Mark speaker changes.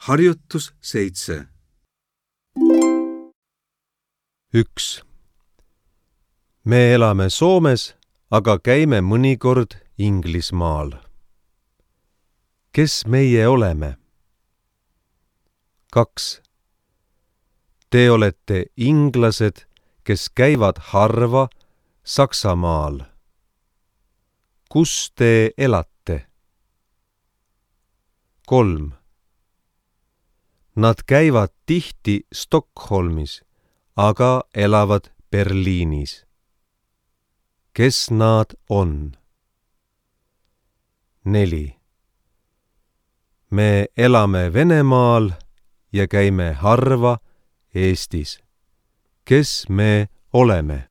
Speaker 1: Harjutus 7.
Speaker 2: 1. Me elame Soomes, aga käime mõnikord Inglismaal. Kes meie oleme? 2. Te olete inglased, kes käivad harva Saksamaal. Kus te elate? 3. Nad käivad tihti Stockholmis, aga elavad Berliinis. Kes nad on? 4. Me elame Venemaal ja käime harva Eestis. Kes me oleme?